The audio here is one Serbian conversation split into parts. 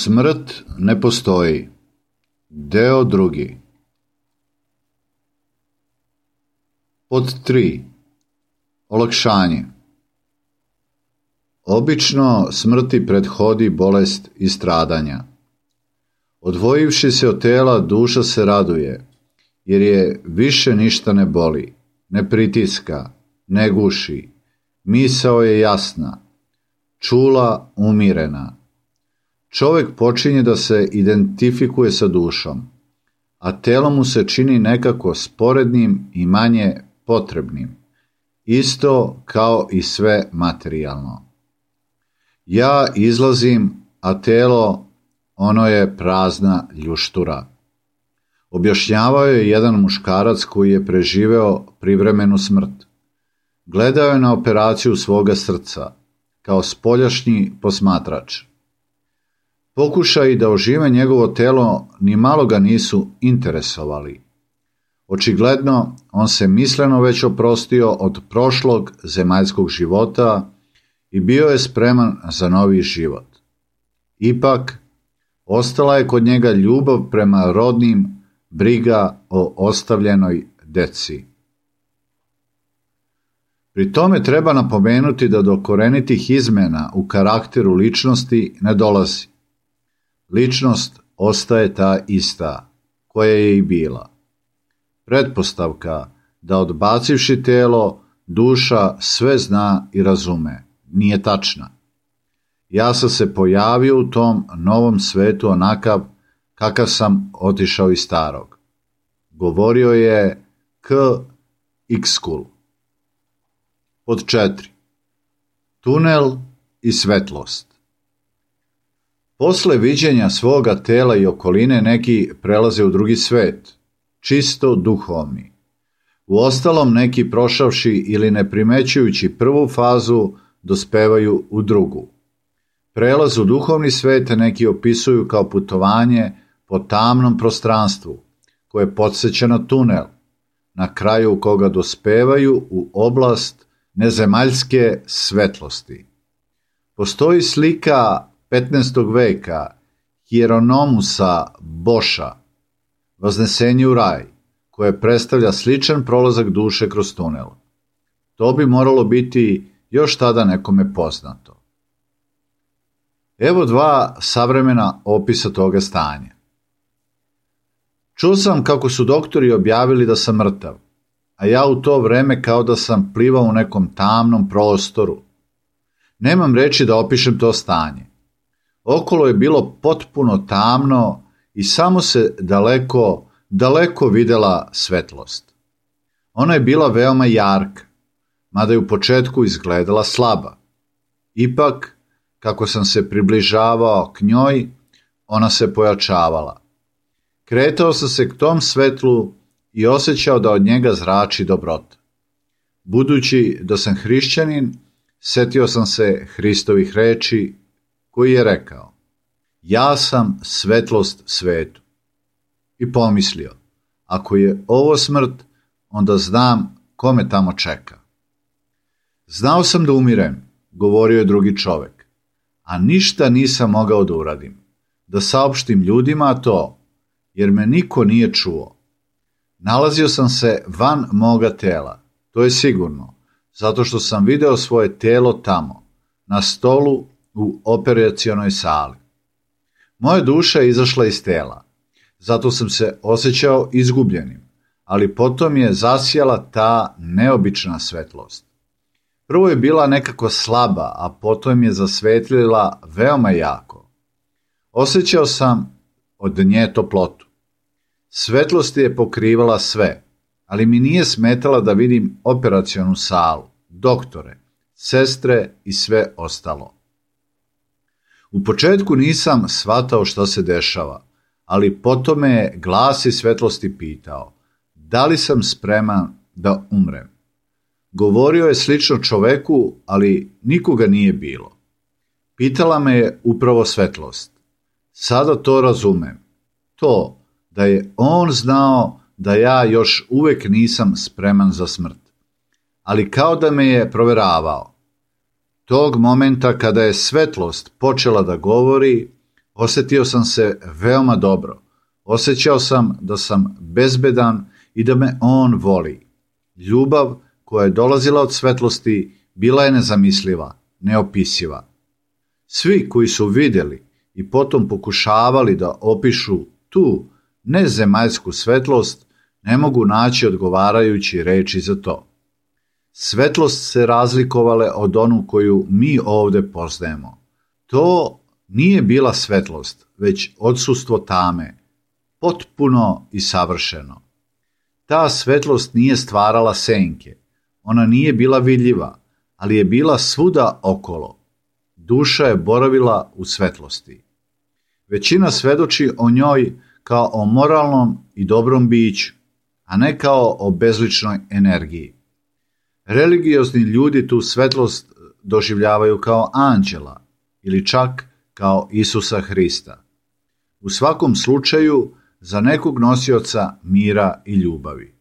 Smrt ne postoji. Deo drugi. Pod 3. Olakšanje. Obično smrti prethodi bolest i stradanja. Odvojivši se od tela, duša se raduje, jer je više ništa ne boli, ne pritiska, ne guši. Misao je jasna, čula umirena. Čovjek počinje da se identifikuje sa dušom, a telo mu se čini nekako sporednim i manje potrebnim, isto kao i sve materijalno. Ja izlazim, a telo, ono je prazna ljuštura. Objašnjavao je jedan muškarac koji je preživeo privremenu smrt. Gledao je na operaciju svoga srca, kao spoljašnji posmatrač. Pokušaji da ožive njegovo telo ni malo ga nisu interesovali. Očigledno, on se misleno već oprostio od prošlog zemaljskog života i bio je spreman za novi život. Ipak, ostala je kod njega ljubav prema rodnim, briga o ostavljenoj deci. Pri tome treba napomenuti da do korenitih izmena u karakteru ličnosti ne dolazi. Ličnost ostaje ta ista, koja je i bila. Pretpostavka da odbacivši telo, duša sve zna i razume, nije tačna. Ja sam se pojavio u tom novom svetu onakav kakav sam otišao iz starog. Govorio je K. Ikskul. Pod 4. Tunel i svetlost. Posle viđenja svoga tela i okoline neki prelaze u drugi svet, čisto duhovni. Uostalom neki prošavši ili ne primećujući prvu fazu dospevaju u drugu. Prelaz u duhovni svet neki opisuju kao putovanje po tamnom prostranstvu, koje podsjeća na tunel, na kraju koga dospevaju u oblast nezemaljske svetlosti. Postoji slika 15. veka Hieronymusa Boša, Vaznesenje u raj, koje predstavlja sličan prolazak duše kroz tunel. To bi moralo biti još tada nekome poznato. Evo dva savremena opisa toga stanja. Čuo sam kako su doktori objavili da sam mrtav, a ja u to vreme kao da sam plivao u nekom tamnom prostoru. Nemam reči da opišem to stanje. Okolo je bilo potpuno tamno i samo se daleko videla svetlost. Ona je bila veoma jarka, mada je u početku izgledala slaba. Ipak, kako sam se približavao k njoj, ona se pojačavala. Kretao sam se k tom svetlu i osjećao da od njega zrači dobrota. Budući da sam hrišćanin, setio sam se Hristovih reči koji je rekao: ja sam svetlost svetu. I pomislio, ako je ovo smrt, onda znam ko me tamo čeka. Znao sam da umirem, govorio je drugi čovek, a ništa nisam mogao da uradim, da saopštim ljudima to, jer me niko nije čuo. Nalazio sam se van moga tela, to je sigurno, zato što sam video svoje telo tamo, na stolu u operacionoj sali. Moja duša je izašla iz tela, zato sam se osjećao izgubljenim, ali potom je zasijala ta neobična svetlost. Prvo je bila nekako slaba, a potom je zasvetlila veoma jako. Osjećao sam od nje toplotu. Svetlost je pokrivala sve, ali mi nije smetala da vidim operacionu salu, doktore, sestre i sve ostalo. U početku nisam shvatao šta se dešava, ali potom me je glas iz svetlosti pitao da li sam spreman da umrem. Govorio je slično čoveku, ali nikoga nije bilo. Pitala me je upravo svetlost. Sada to razumem. To da je on znao da ja još uvek nisam spreman za smrt. Ali kao da me je proveravao. Tog momenta kada je svetlost počela da govori, Osjetio sam se veoma dobro. Osjećao sam da sam bezbedan i da me on voli. Ljubav koja je dolazila od svetlosti bila je nezamisliva, neopisiva. Svi koji su vidjeli i potom pokušavali da opišu tu nezemaljsku svetlost, ne mogu naći odgovarajući reči za to. Svetlost se razlikovale od onu koju mi ovdje poznajemo. To nije bila svetlost, već odsustvo tame, potpuno i savršeno. Ta svetlost nije stvarala senke, ona nije bila vidljiva, ali je bila svuda okolo. Duša je boravila u svetlosti. Većina svedoči o njoj kao o moralnom i dobrom biću, a ne kao o bezličnoj energiji. Religiozni ljudi tu svetlost doživljavaju kao anđela ili čak kao Isusa Hrista. U svakom slučaju za nekog nosioca mira i ljubavi.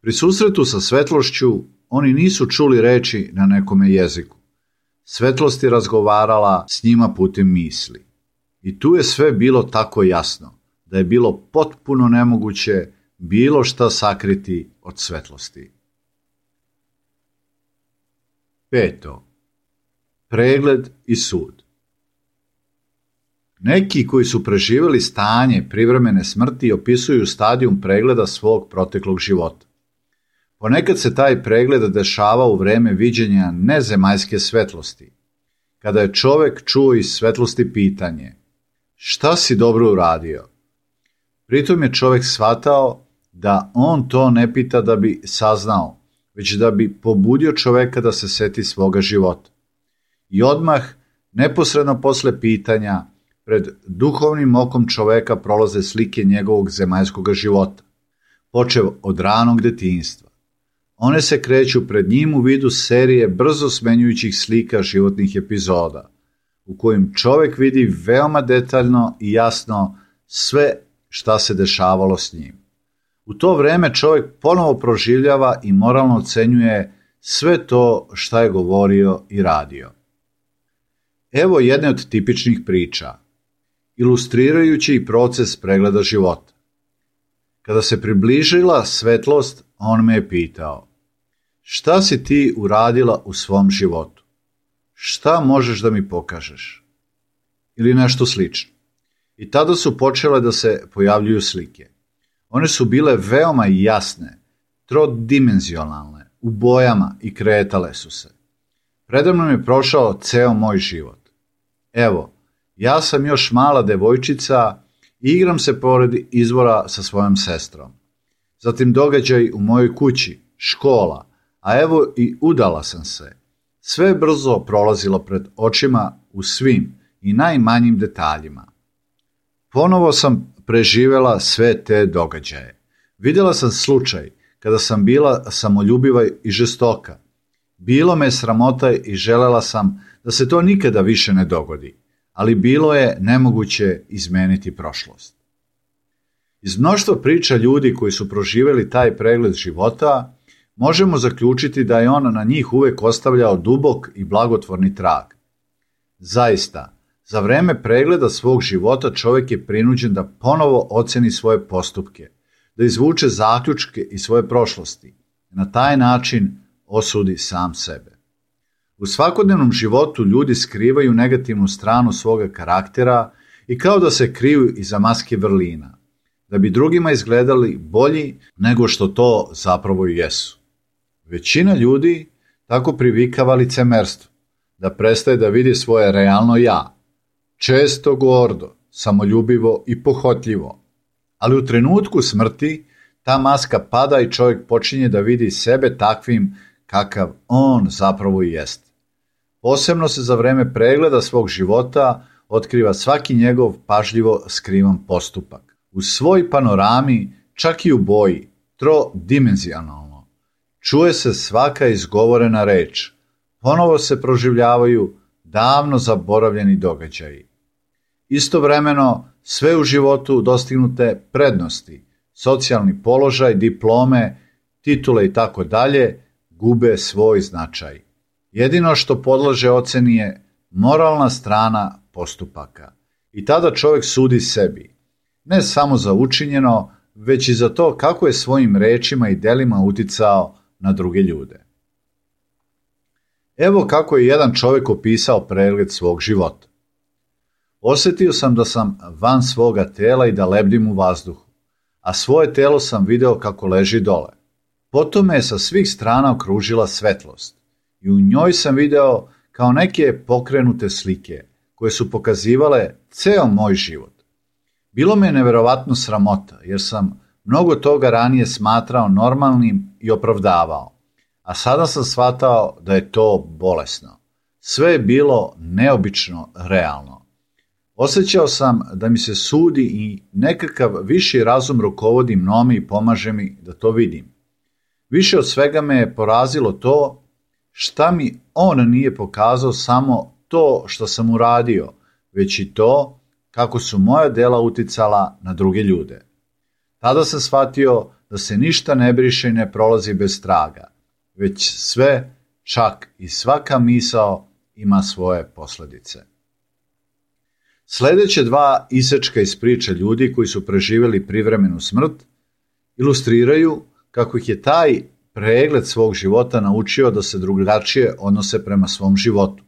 Pri susretu sa svetlošću oni nisu čuli reči na nekome jeziku. Svetlost je razgovarala s njima putem misli. I tu je sve bilo tako jasno, da je bilo potpuno nemoguće bilo šta sakriti od svetlosti. 5. Pregled i sud. Neki koji su preživjeli stanje privremene smrti opisuju stadijum pregleda svog proteklog života. Ponekad se taj pregled dešava u vreme viđenja nezemaljske svetlosti, kada je čovjek čuo iz svetlosti pitanje: šta si dobro uradio? Pritom je čovjek shvatao da on to ne pita da bi saznao, već da bi pobudio čovjeka da se seti svoga života. I odmah, neposredno posle pitanja, pred duhovnim okom čovjeka prolaze slike njegovog zemaljskog života, počev od ranog detinjstva. One se kreću pred njim u vidu serije brzo smenjujućih slika životnih epizoda, u kojim čovjek vidi veoma detaljno i jasno sve šta se dešavalo s njim. U to vrijeme čovjek ponovo proživljava i moralno ocenjuje sve to šta je govorio i radio. Evo jedne od tipičnih priča, ilustrirajući proces pregleda života. Kada se približila svetlost, on me je pitao: šta si ti uradila u svom životu? Šta možeš da mi pokažeš? Ili nešto slično. I tada su počele da se pojavljuju slike. One su bile veoma jasne, trodimenzionalne, u bojama i kretale su se. Predamnom je prošao ceo moj život. Evo, ja sam još mala devojčica i igram se pored izvora sa svojom sestrom. Zatim događaj u mojoj kući, škola, a evo i udala sam se. Sve je brzo prolazilo pred očima u svim i najmanjim detaljima. Ponovo sam preživjela sve te događaje. Vidjela sam slučaj kada sam bila samoljubiva i žestoka. Bilo me sramota i želela sam da se to nikada više ne dogodi, ali bilo je nemoguće izmeniti prošlost. Iz mnoštva priča ljudi koji su proživjeli taj pregled života, možemo zaključiti da je on na njih uvek ostavljao dubok i blagotvorni trag. Zaista, za vreme pregleda svog života čovjek je prinuđen da ponovo oceni svoje postupke, da izvuče zaključke iz svoje prošlosti. Na taj način osudi sam sebe. U svakodnevnom životu ljudi skrivaju negativnu stranu svoga karaktera i kao da se kriju iza maske vrlina, da bi drugima izgledali bolji nego što to zapravo i jesu. Većina ljudi tako privikava licemerstvo, da prestaje da vidi svoje realno ja, često gordo, samoljubivo i pohotljivo. Ali u trenutku smrti ta maska pada i čovjek počinje da vidi sebe takvim kakav on zapravo i jeste. Posebno se za vreme pregleda svog života otkriva svaki njegov pažljivo skrivan postupak. U svoj panorami, čak i u boji, trodimenzionalno, čuje se svaka izgovorena reč. Ponovo se proživljavaju davno zaboravljeni događaji. Istovremeno, sve u životu dostignute prednosti, socijalni položaj, diplome, titule i tako dalje, gube svoj značaj. Jedino što podlože oceni je moralna strana postupaka. I tada čovjek sudi sebi, ne samo za učinjeno, već i za to kako je svojim rečima i delima uticao na druge ljude. Evo kako je jedan čovjek opisao pregled svog života. Osjetio sam da sam van svoga tela i da lebdim u vazduhu, a svoje telo sam video kako leži dole. Potom me je sa svih strana okružila svetlost i u njoj sam video kao neke pokrenute slike koje su pokazivale ceo moj život. Bilo me je neverovatno sramota jer sam mnogo toga ranije smatrao normalnim i opravdavao, a sada sam shvatao da je to bolesno. Sve je bilo neobično realno. Osjećao sam da mi se sudi i nekakav viši razum rukovodi mnome i pomaže mi da to vidim. Više od svega me je porazilo to šta mi on nije pokazao samo to što sam uradio, već i to kako su moja dela uticala na druge ljude. Tada sam shvatio da se ništa ne briše i ne prolazi bez traga, već sve, čak i svaka misao ima svoje posljedice. Sljedeće dva isečka iz priče ljudi koji su preživjeli privremenu smrt ilustriraju kako ih je taj pregled svog života naučio da se drugačije odnose prema svom životu.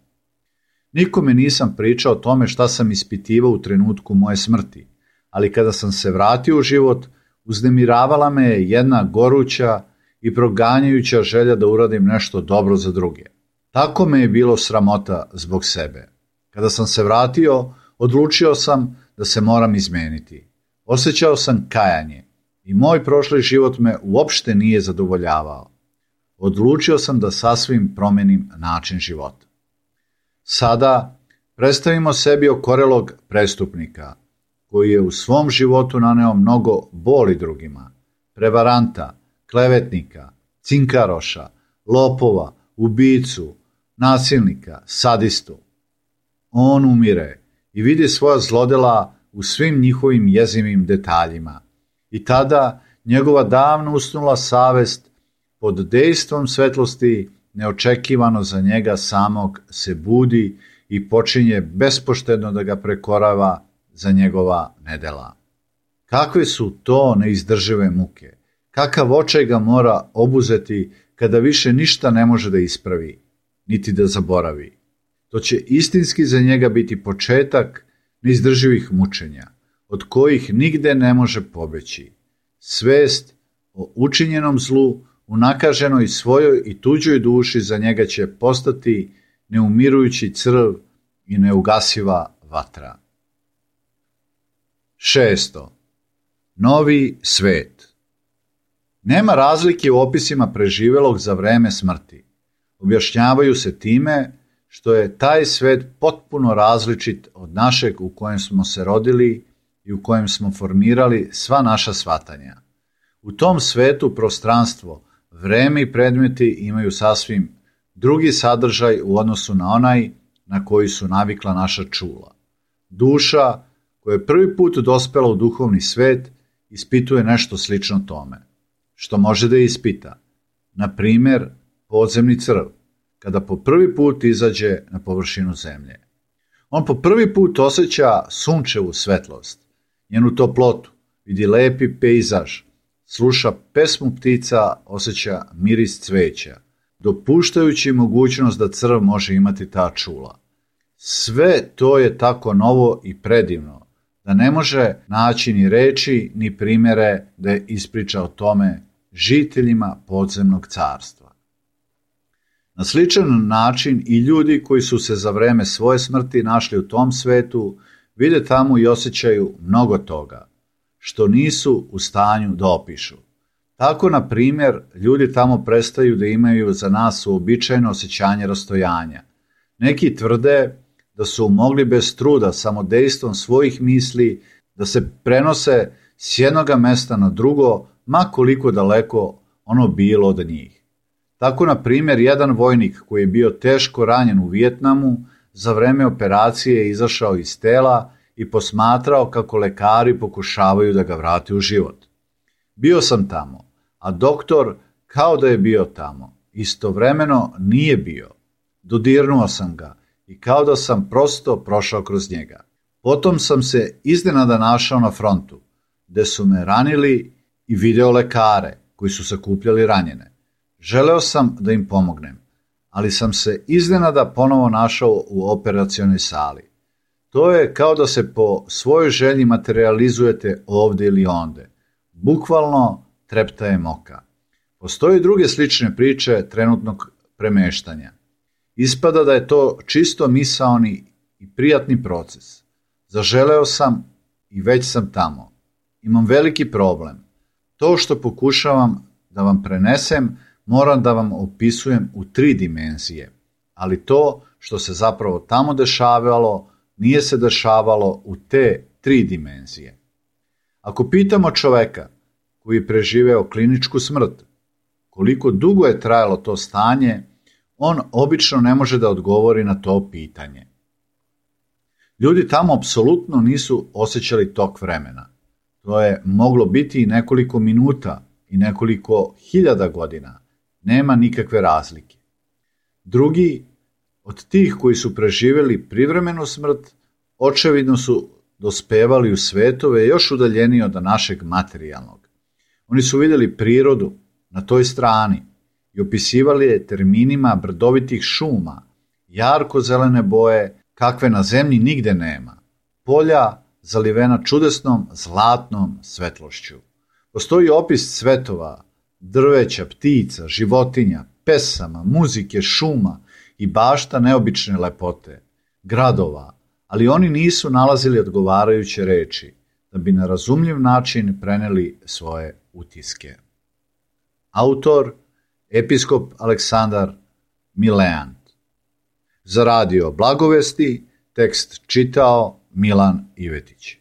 Nikome nisam pričao o tome šta sam ispitivao u trenutku moje smrti, ali kada sam se vratio u život, uznemiravala me je jedna goruća i proganjajuća želja da uradim nešto dobro za druge. Tako me je bilo sramota zbog sebe. Kada sam se vratio, odlučio sam da se moram izmeniti. Osjećao sam kajanje i moj prošli život me uopšte nije zadovoljavao. Odlučio sam da sasvim promenim način života. Sada predstavimo sebi okorelog prestupnika koji je u svom životu naneo mnogo boli drugima, prevaranta, klevetnika, cinkaroša, lopova, ubicu, nasilnika, sadistu. On umire i vidi svoja zlodela u svim njihovim jezivim detaljima. I tada njegova davno usnula savest pod dejstvom svetlosti neočekivano za njega samog se budi i počinje bespoštedno da ga prekorava za njegova nedela. Kakve su to neizdržive muke? Kakav očaj ga mora obuzeti kada više ništa ne može da ispravi, niti da zaboravi. To će istinski za njega biti početak neizdrživih mučenja, od kojih nigde ne može pobeći. Svest o učinjenom zlu, unakaženoj svojoj i tuđoj duši za njega će postati neumirujući crv i neugasiva vatra. 6. Novi svet. Nema razlike u opisima preživelog za vreme smrti. Objašnjavaju se time što je taj svet potpuno različit od našeg u kojem smo se rodili i u kojem smo formirali sva naša shvatanja. U tom svetu prostranstvo, vreme i predmeti imaju sasvim drugi sadržaj u odnosu na onaj na koji su navikla naša čula. Duša koja je prvi put dospela u duhovni svet ispituje nešto slično tome. Što može da ispita? Na primjer, podzemni crv, kada po prvi put izađe na površinu zemlje. On po prvi put osjeća sunčevu svetlost, njenu toplotu, vidi lepi pejzaž, sluša pesmu ptica, osjeća miris cveća, dopuštajući mogućnost da crv može imati ta čula. Sve to je tako novo i predivno, da ne može naći ni reči ni primjere da je ispriča o tome žiteljima podzemnog carstva. Na sličan način i ljudi koji su se za vreme svoje smrti našli u tom svetu vide tamo i osjećaju mnogo toga, što nisu u stanju da opišu. Tako, na primjer, ljudi tamo prestaju da imaju za nas uobičajeno osjećanje rastojanja. Neki tvrde da su mogli bez truda samodejstvom svojih misli da se prenose s jednoga mesta na drugo, ma koliko daleko ono bilo od njih. Tako, na primjer, jedan vojnik koji je bio teško ranjen u Vijetnamu za vreme operacije je izašao iz tela i posmatrao kako lekari pokušavaju da ga vrate u život. Bio sam tamo, a doktor kao da je bio tamo. Istovremeno nije bio. Dodirnuo sam ga i kao da sam prosto prošao kroz njega. Potom sam se iznenada našao na frontu, gde su me ranili i video lekare koji su sakupljali ranjene. Želeo sam da im pomognem, ali sam se iznenada ponovo našao u operacionoj sali. To je kao da se po svojoj želji materializujete ovde ili onde. Bukvalno treptaje moka. Postoje druge slične priče trenutnog premeštanja. Ispada da je to čisto misaoni i prijatni proces. Zaželeo sam i već sam tamo. Imam veliki problem. To što pokušavam da vam prenesem, moram da vam opisujem u 3 dimenzije, ali to što se zapravo tamo dešavalo, nije se dešavalo u te 3 dimenzije. Ako pitamo čoveka koji je preživeo kliničku smrt, koliko dugo je trajalo to stanje, on obično ne može da odgovori na to pitanje. Ljudi tamo apsolutno nisu osjećali tok vremena. To je moglo biti i nekoliko minuta i nekoliko hiljada godina. Nema nikakve razlike. Drugi od tih koji su preživjeli privremenu smrt, očevidno su dospevali u svetove još udaljeniji od našeg materijalnog. Oni su vidjeli prirodu na toj strani i opisivali je terminima brdovitih šuma, jarko zelene boje, kakve na zemlji nigde nema, polja zalivena čudesnom zlatnom svetlošću. Postoji opis cvetova, drveća, ptica, životinja, pesama, muzike, šuma i bašta neobične lepote, gradova, ali oni nisu nalazili odgovarajuće reči da bi na razumljiv način preneli svoje utiske. Autor episkop Aleksandar Mileant. Za radio Blagovesti tekst čitao Milan Ivetić.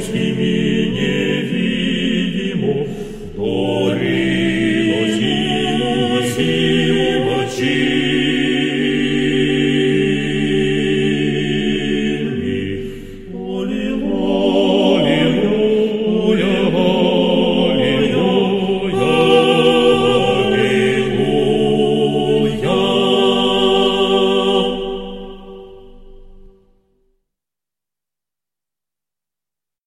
svimi